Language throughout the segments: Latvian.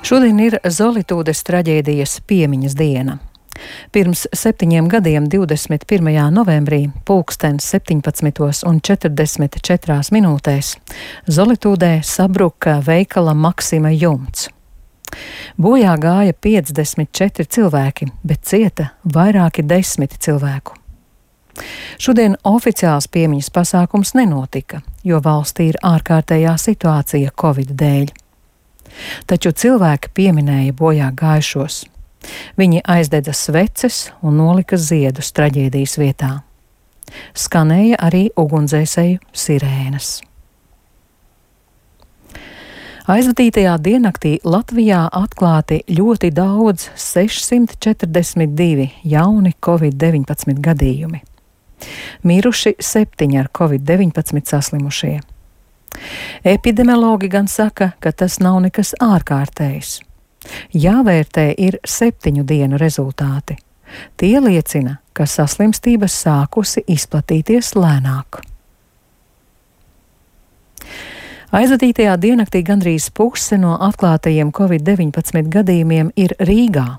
Šodien ir Zolitūdes traģēdijas piemiņas diena. Pirms 7 gadiem, 21. novembrī, pulkstens 17:44 Zolitūdē sabruka veikala Maksima jumts. Bojā gāja 54 cilvēki, bet cieta vairāki 10 cilvēku. Šodien oficiāls piemiņas pasākums nenotika, jo valstī ir ārkārtējā situācija Covid dēļ. Taču cilvēki pieminēja bojā gājušos. Viņi aizdedza sveces un nolika ziedus traģēdijas vietā. Skanēja arī ugunsdzēsēju sirēnas. Aizvadītajā diennaktī Latvijā atklāti ļoti daudz 642 jauni Covid-19 gadījumi. Miruši 7 ar Covid-19 saslimušie. Epidemiologi gan saka, ka tas nav nekas ārkārtējs. Jāvērtē ir 7 dienu rezultāti. Tie liecina, ka saslimstība sākusi izplatīties lēnāk. Aizvadītajā diennaktī gandrīz puse no atklātajiem Covid-19 gadījumiem ir Rīgā.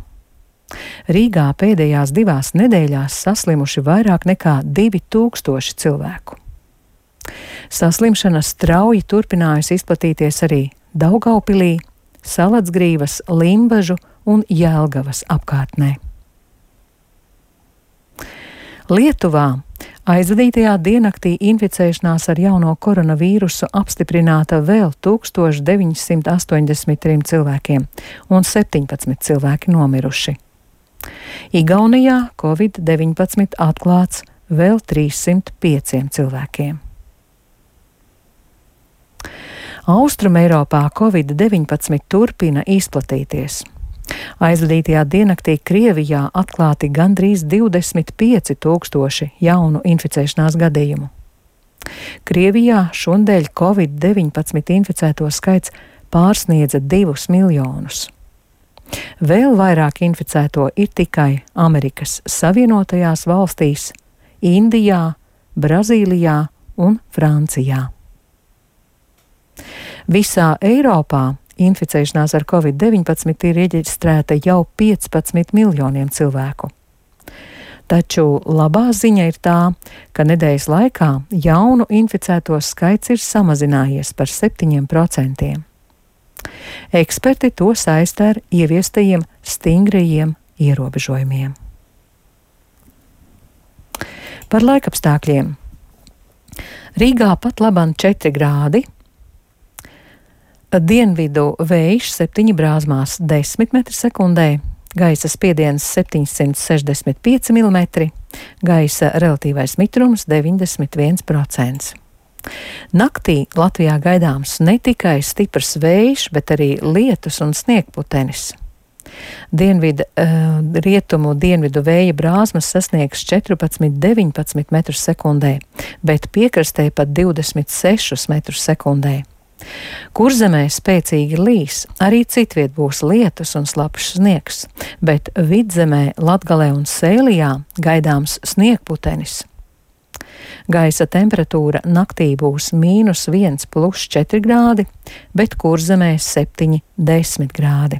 Rīgā pēdējās 2 nedēļās saslimuši vairāk nekā 2000 cilvēku. Saslimšana strauji turpinājusi izplatīties arī Daugaupilī, Salatsgrīvas, Limbažu un Jelgavas apkārtnē. Lietuvā aizvadītajā diennaktī inficēšanās ar jauno koronavīrusu apstiprināta vēl 1983 cilvēkiem un 17 cilvēki nomiruši. Igaunijā Covid-19 atklāts vēl 305 cilvēkiem. Austrumeiropā Covid-19 turpina izplatīties. Aizvadītajā diennaktī Krievijā atklāti gandrīz 25 000 jaunu inficēšanās gadījumu. Krievijā šonadēļ Covid-19 inficēto skaits pārsniedza 2 miljonus. Vēl vairāk inficēto ir tikai Amerikas Savienotajās valstīs, Indijā, Brazīlijā un Francijā. Visā Eiropā inficēšanās ar Covid-19 ir reģistrēta jau 15 miljoniem cilvēku. Taču labā ziņa ir tā, ka nedēļas laikā jaunu inficēto skaits ir samazinājies par 7%. Eksperti to saista ar ieviestajiem stingrajiem ierobežojumiem. Par laikapstākļiem. Rīgā pat labam 4 grādi. Dienvidu vējš 7 brāzmās 10 m/sekundē, gaisa spiediens 765 mm, gaisa relatīvais mitrums 91%. Naktī Latvijā gaidāms ne tikai stiprs vējš, bet arī lietus un sniegputenis. Rietumu dienvidu vēja brāzmas sasniegs 14–19 m/sekundē, bet piekrastē pat 26 m/sekundē. Kurzemē spēcīgi līs, arī citviet būs lietus un slapjš sniegs, bet Vidzemē, Latgalē un Sēlijā gaidāms sniegputenis. Gaisa temperatūra naktī būs -1 + 4 grādi, bet Kurzemē 7–10 grādi.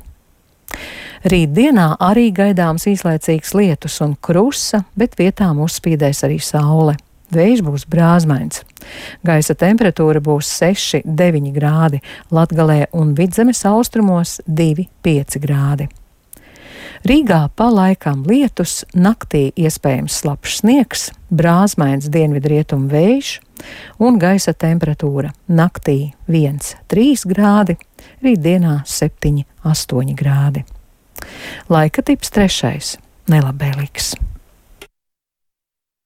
Rītdienā arī gaidāms īslaicīgs lietus un krusa, bet vietām uzspīdēs arī saule. Vējš būs brāzmains. Gaisa temperatūra būs 6–9 grādi, Latgalē un Vidzemes austrumos 2–5 grādi. Rīgā pa laikam lietus, naktī iespējams slapjš sniegs, brāzmains dienvidrietumu vējš un gaisa temperatūra naktī 1–3 grādi, rītdienā 7–8 grādi. Laika tips 3. nelabvēlīgs.